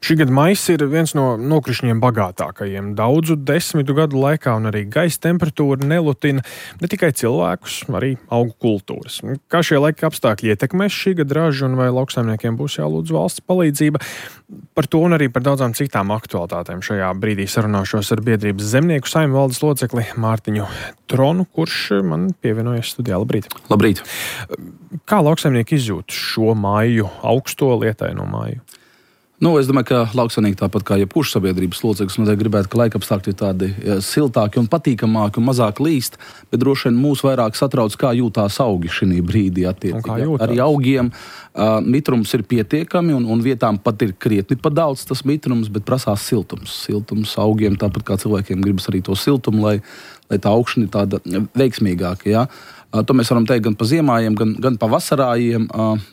Šī gada maijs ir viens no nokrišņiem bagātākajiem. Daudzu desmitu gadu laikā un arī gaisa temperatūra nelutina ne tikai cilvēkus, arī augu kultūras. Kā šie laika apstākļi ietekmēs šī gada ražu un vai lauksaimniekiem būs jālūdz valsts palīdzība? Par to un arī par daudzām citām aktualitātēm šajā brīdī sarunāšos ar biedrības Zemnieku saimju valdes locekli Mārtiņu Tronu, kurš man pievienojas studijā. Labrīt! Labrīt! Kā lauksaimnieki izjūt šo māju, augsto lietaino māju? Es domāju, ka lauksaimnieki tāpat kā jebkurš sabiedrības loceklis noteikti gribētu, ka laika apstākļi ir tādi siltāki un patīkamāki un mazāk līst, bet droši vien mūs vairāk satrauc, kā jūtās augi šī brīdī attiecīgi. Arī augiem mitrums ir pietiekami un vietām pat ir krietni pa daudz tas mitrums, bet prasās siltums. Siltums augiem, tāpat kā cilvēkiem gribas arī to siltumu, lai tā augšana ir tāda veiksmīgāka, ja? To mēs varam teikt gan pa ziemājiem, gan pa vasarājiem.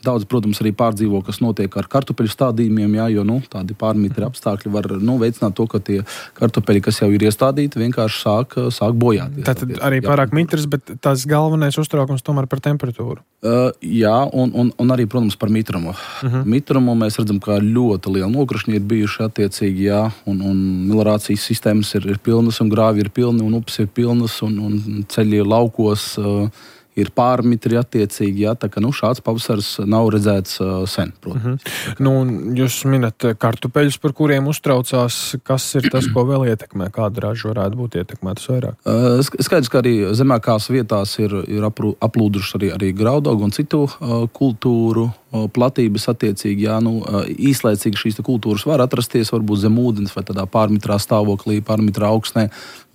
Daudz, protams, arī pārdzīvo, kas notiek ar kartupeļu stādījumiem, jo tādi pārmitri apstākļi var veicināt to, ka tie kartupeļi, kas jau ir iestādīti, vienkārši sāk bojāties. Tātad arī pārāk mitrs, bet tas galvenais uztraukums tomēr par temperatūru. Jā, un arī, protams, par mitrumu. Mitrumu mēs redzam, ka ļoti liela nokrišņi ir bijuši attiecīgi, jā, un melorācijas sistēmas ir pilnas, un grāvi ir pilni, un upes ir pilnas, un ceļi laukos ir pārmitri attiecīgi, jā, tā ka šāds pavasars nav redzēts sen, protams. Jūs minat kartupeļus, par kuriem uztraucās, kas ir tas, ko vēl ietekmē, kāda raža varētu būt ietekmētas vairāk? Skaidrs, ka arī zemākās vietās ir aplūduši arī graudaugu un citu kultūru platības attiecīgi, jā, īslaicīgi šīs kultūras var atrasties, varbūt zem ūdens vai tādā pārmitrā stāvoklī, pārmitrā augstnē,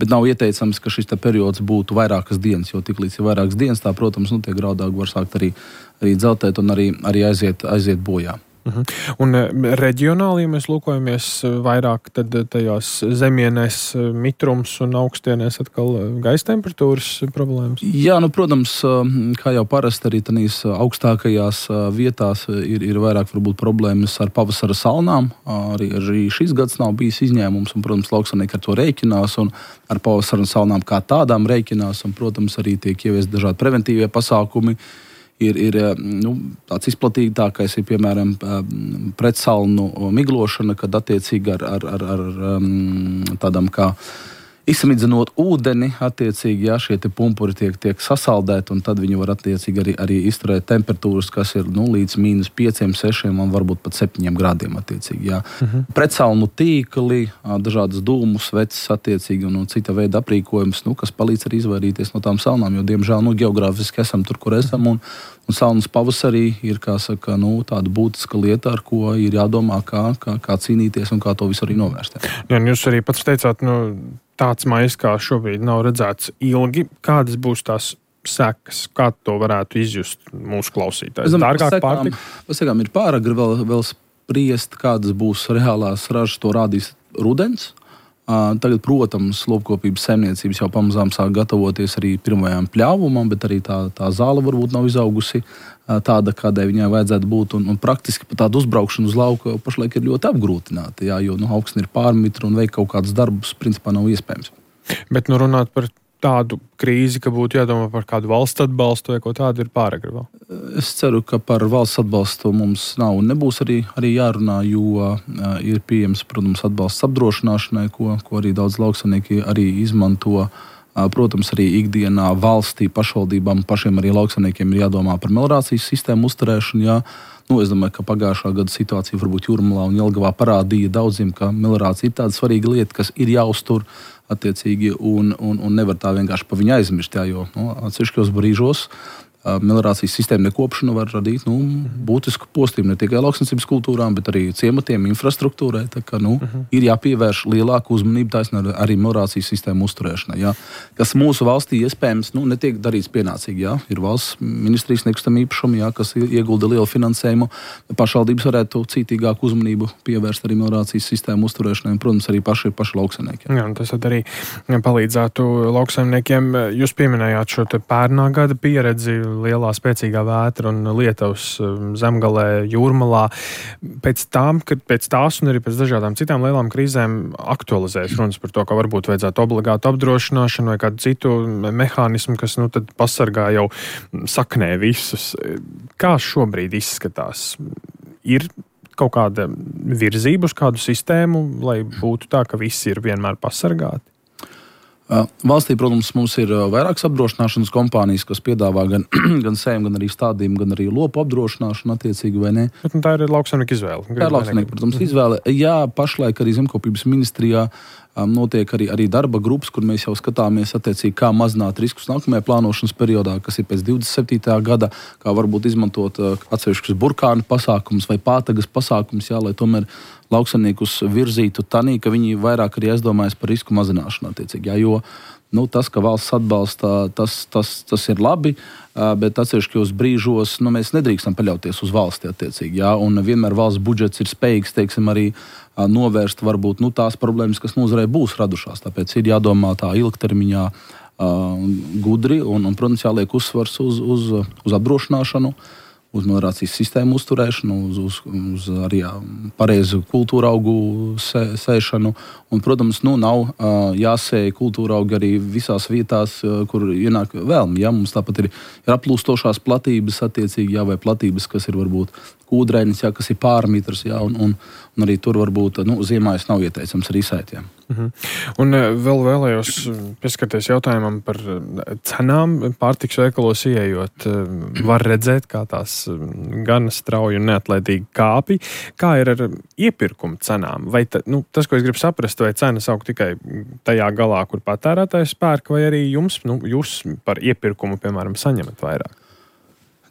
bet nav ieteicams, ka šis periods būtu vairākas dienas, jo tiklīdz ir vairākas dienas, tā, protams, tie graudaugi var sākt arī dzeltēt un arī aiziet bojā. Un reģionāli, ja mēs lūkojamies vairāk, tad tajās zemienēs mitrums un augstienēs atkal gaisa temperatūras problēmas? Jā, protams, kā jau parasti arī tādīs augstākajās vietās ir vairāk varbūt problēmas ar pavasara salnām. Arī šis gads nav bijis izņēmums, un, protams, lauksaimnieki ar to rēķinās un ar pavasara salnām kā tādām rēķinās, un, protams, arī tiek ieviesti dažādi preventīvie pasākumi. Ir tāds izplatītākais ir, piemēram, pretsalnu miglošana, kad attiecīgi ar tādām kā izsamidzinot ūdeni, attiecīgi, jā, šie pumpuri tiek sasaldēti, un tad viņi var attiecīgi arī izturēt temperatūras, kas ir līdz -5, 6 un varbūt pat 7 grādiem attiecīgi, jā. Pretsalnu tīkli, dažādas dūmu sveces attiecīgi un cita veida aprīkojums, kas palīdz arī izvairīties no tām salnām, jo, diemžēl, geogrāfiski esam tur, kur esam, un salnas pavasarī ir, kā saka, tāda būtiska lieta, ar ko ir jādomā, kā cīnīties un kā to visu arī novērst. Jā, jūs arī pats teicāt, tāds maijs kā šobrīd nav redzēts ilgi. Kādas būs tās sekas? Kā to varētu izjust mūsu klausītājs? Dārgāk pārtika? Pasakām, ir pāragri vēl spriest, kādas būs reālās ražas, to rādīs rudens. Tagad, protams, lopkopības saimniecības jau pamazām sāk gatavoties arī pirmajām pļāvumam, bet arī tā zāle varbūt nav izaugusi tāda, kādai viņai vajadzētu būt. Un praktiski pat tāda uzbraukšana uz lauku pašlaik ir ļoti apgrūtināta, jā, jo augsne ir pārmitra un veikt kaut kādus darbus principā nav iespējams. Bet runāt par tādu krīzi, ka būtu jādomā par kādu valsts atbalstu vai ko tādu, ir pāragri vēl? Es ceru, ka par valsts atbalstu mums nav un nebūs arī jārunā, jo ir pieejams, protams, atbalsts apdrošināšanai, ko arī daudz lauksaimnieki arī izmanto. Protams, arī ikdienā valstī, pašvaldībām, pašiem arī lauksaimniekiem ir jādomā par melorācijas sistēmu uzturēšanu. Jā. Es domāju, ka pagājušā gada situācija varbūt Jūrmalā un Jelgavā parādīja daudziem, ka melorācija ir tāda svarīga lieta, kas ir jāuztur attiecīgi un nevar tā vienkārši pa viņu aizmirst, jā, jo atsevišķos brīžos melorācijas sistēma nekopšana var radīt būtisku postījumu ne tikai lauksniecības kultūrām, bet arī ciematiem, infrastruktūrai. Tā kā, ir jāpievērš lielāka uzmanība taisnība arī melorācijas sistēmu uzturēšanai. Jā. Kas mūsu valstī iespējams netiek darīts pienācīgi. Jā. Ir valsts ministrijas nekustamā īpašuma, jā, kas iegulda lielu finansējumu. Pašvaldības varētu cītīgāku uzmanību pievērst arī melorācijas sistēmu uzturēšanai, un, protams, arī paši lauksaimnieki. Jā, tas arī palīdzētu lauksaimniekiem. Jūs pieminējāt šo pērnā gada pieredzi, lielā spēcīgā vētra un lietavas Zemgalē, Jūrmalā. Pēc tās un arī pēc dažādām citām lielām krīzēm aktualizējas runas par to, ka varbūt vajadzētu obligātu apdrošināšanu vai kādu citu mehānismu, kas tad pasargā jau saknē visus. Kā šobrīd izskatās? Ir kaut kāda virzība uz kādu sistēmu, lai būtu tā, ka visi ir vienmēr pasargāti? Valstī, protams, mums ir vairākas apdrošināšanas kompānijas, kas piedāvā gan sēm, gan arī stādījumu, gan arī lopu apdrošināšanu attiecīgi, vai ne? Bet, tā ir lauksaimnieku izvēle. Tā ir lauksaimnieku, protams, izvēle. Jā, pašlaik arī Zemkopības ministrijā notiek arī darba grupas, kur mēs jau skatāmies attiecīgi, kā mazināt riskus nākamajā plānošanas periodā, kas ir pēc 27. gada, kā varbūt izmantot atsevišķus burkānu pasākumus vai pātagas pasākumus, jā, lai tomēr lauksaimniekus virzītu tanī, ka viņi vairāk arī aizdomājas par risku mazināšanu attiecīgi, jā, jo tas, ka valsts atbalsta, tas ir labi, bet atsevišķos brīžos mēs nedrīkstam paļauties uz valsti attiecīgi, jā, un vienmēr valsts budžets ir spējīgs, teiksim, arī novērst varbūt tās problēmas, kas nozarei būs radušās. Tāpēc ir jādomā tā ilgtermiņā gudri un protams, jāliek uzsvars uz apdrošināšanu, uz melnrācijas sistēmu uzturēšanu, uz arī pareizu kultūra augu sēšanu. Un, protams, nav jāsēja kultūra augi arī visās vietās, kur ienāk vēlmi. Ja? Mums tāpat ir aplūstošās platības attiecīgi, vai platības, kas ir varbūt kūdrēnis, kas ir pārmetrs, un arī tur varbūt ziemājas nav ieteicams arī sēt. Un vēl vēlējos pieskarties jautājumam par cenām. Pārtikas veikalos ieejot, var redzēt, kā tās gan strauji un neatlaidīgi kāpj. Kā ir ar iepirkuma cenām? Vai tas, ko es gribu saprast, vai cenas aug tikai tajā galā, kur patērētājs pērk, vai arī jūs par iepirkumu, piemēram, saņemat vairāk?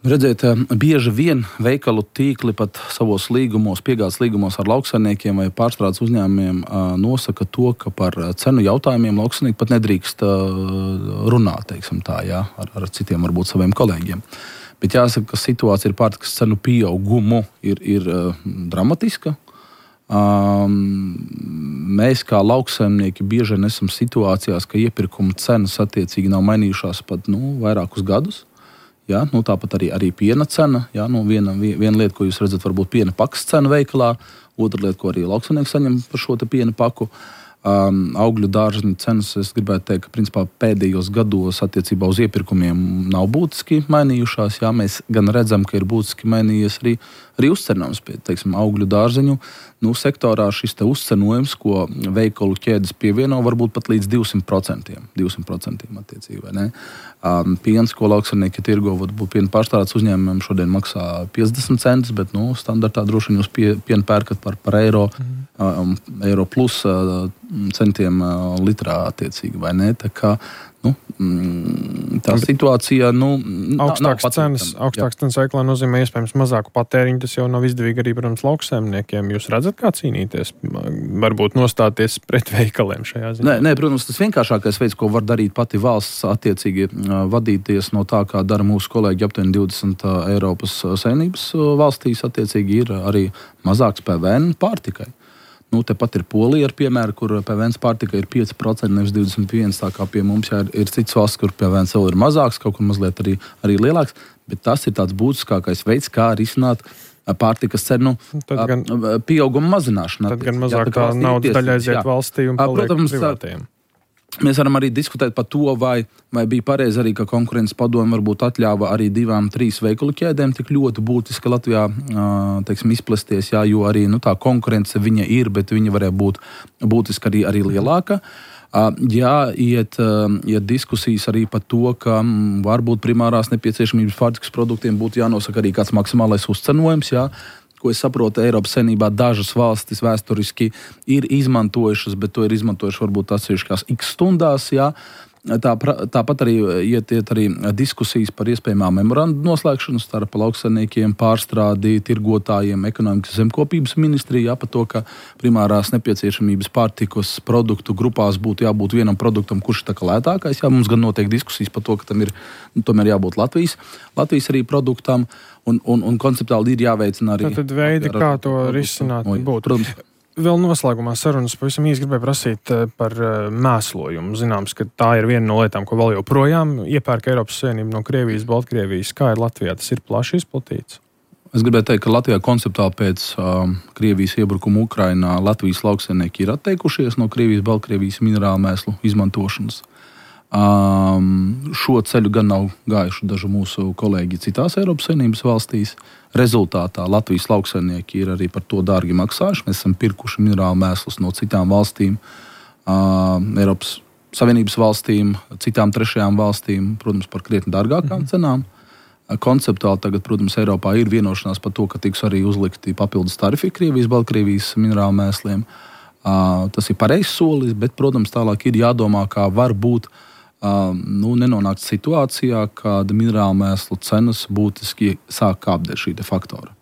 Redziet, bieži vien veikalu tīkli pat savos līgumos, piegādes līgumos ar lauksaimniekiem vai pārstrādes uzņēmumiem nosaka to, ka par cenu jautājumiem lauksaimnieki pat nedrīkst runāt, teiksim tā, jā, ar citiem varbūt saviem kolēģiem. Bet jāsaka, ka situācija ar pārtikas cenu pieaugumu ir dramatiska. Mēs kā lauksaimnieki bieži vien esam situācijās, ka iepirkuma cenas attiecīgi nav mainījušās pat vairākus gadus. Ja, tāpat arī piena cena. Ja, viena lieta, ko jūs redzat, varbūt piena pakas cena veikalā. Otra lieta, ko arī lauksaimnieks saņem par šo piena paku. Augļu dārzeņu cenas, es gribētu teikt, ka principā pēdējos gados attiecībā uz iepirkumiem nav būtiski mainījušās. Ja, mēs gan redzam, ka ir būtiski mainījies arī uzcenojums pie, teiksim, augļu dārzeņu. Sektorā šis uzcenojums, ko veikalu ķēdes pievieno, varbūt pat līdz 200%. 200% attiecīgi, vai ne? Piens, ko lauksaimnieki tirgo, varbūt piena pārstrādes uzņēmumiem šodien maksā 50 centus, bet standartā droši vien jūs pienu pērkat par eiro, eiro plus centiem litrā attiecīgi, vai ne? Tā kā tā situācija augstākas cenas veiklā nozīmē iespējams mazāku patēriņu. Tas jau nav izdevīgi arī, protams, lauksaimniekiem. Jūs redzat, kā cīnīties? Varbūt nostāties pret veikaliem šajā ziņā? Nē, protams, tas vienkāršākais veids, ko var darīt pati valsts, attiecīgi vadīties no tā, kā dara mūsu kolēģi aptuveni 20 Eiropas Savienības valstīs, attiecīgi ir arī mazāks PVN pārtikai. Tepat ir Polija ar piemēru, kur PVN pārtika ir 5%, nevis 21%, tā kā pie mums ir cits valsts, kur PVN vēl ir mazāks, kaut kur mazliet arī lielāks, bet tas ir tāds būtiskākais veids, kā risināt pārtikas cenu pieauguma mazināšanu. Tad gan mazāk tā naudas daļa aiziet valstī un paliek privātajiem. Mēs varam arī diskutēt par to, vai bija pareizi arī, ka konkurences padome varbūt atļāva arī 2-3 veikalu ķēdēm tik ļoti būtiski Latvijā, teiksim, izplesties, jā, jo arī tā konkurence viņa ir, bet viņa varēja būt būtiski arī lielāka. Jā, iet diskusijas arī par to, ka varbūt primārās nepieciešamības pārtikas produktiem būtu jānosaka arī kāds maksimālais uzcenojums, jā. Ko es saprotu, Eiropas Savienībā dažas valstis vēsturiski ir izmantojušas, bet to ir izmantojuši varbūt atsevišķās x stundās. Jā. Tāpat arī iet arī diskusijas par iespējamām memorandu noslēgšanu starp lauksaimniekiem, pārstrādi, tirgotājiem, ekonomikas zemkopības ministriju, par to, ka primārās nepieciešamības pārtikas produktu grupās būtu jābūt vienam produktam, kurš ir lētākais. Jā, mums gan notiek diskusijas par to, ka tam ir tomēr jābūt Latvijas arī produktam, un konceptuāli ir jāveicina arī. Tad veidi, kā to risināt būtu. Protams. Vēl noslēgumā sarunas pavisam īsi gribēju prasīt par mēslojumu. Zināms, ka tā ir viena no lietām, ko vēl joprojām iepērk Eiropas Savienība no Krievijas, Baltkrievijas. Kā ir Latvijā? Tas ir plaši izplatīts? Es gribēju teikt, ka Latvijā konceptuāli pēc Krievijas iebrukuma Ukrainā Latvijas lauksaimnieki ir atteikušies no Krievijas, Baltkrievijas minerālu mēslu izmantošanas. Šo ceļu gan nav gājuši daži mūsu kolēģi citās Eiropas Savienības valstīs. Rezultātā Latvijas lauksaimnieki ir arī par to dārgi maksājuši. Mēs esam pirkuši minerālu mēslus no citām valstīm, Eiropas Savienības valstīm, citām trešajām valstīm, protams, par krietni dārgākām cenām. Konceptuāli tagad, protams, Eiropā ir vienošanās par to, ka tiks arī uzlikti papildus tarifi Krievijas, Baltkrievijas minerālu mēsliem. Tas ir pareizs solis, bet, protams, tālāk ir jādomā, kā var būt nenonākt situācijā, kad minerālu mēslu cenas būtiski sāk kāpt dēļ šī faktora.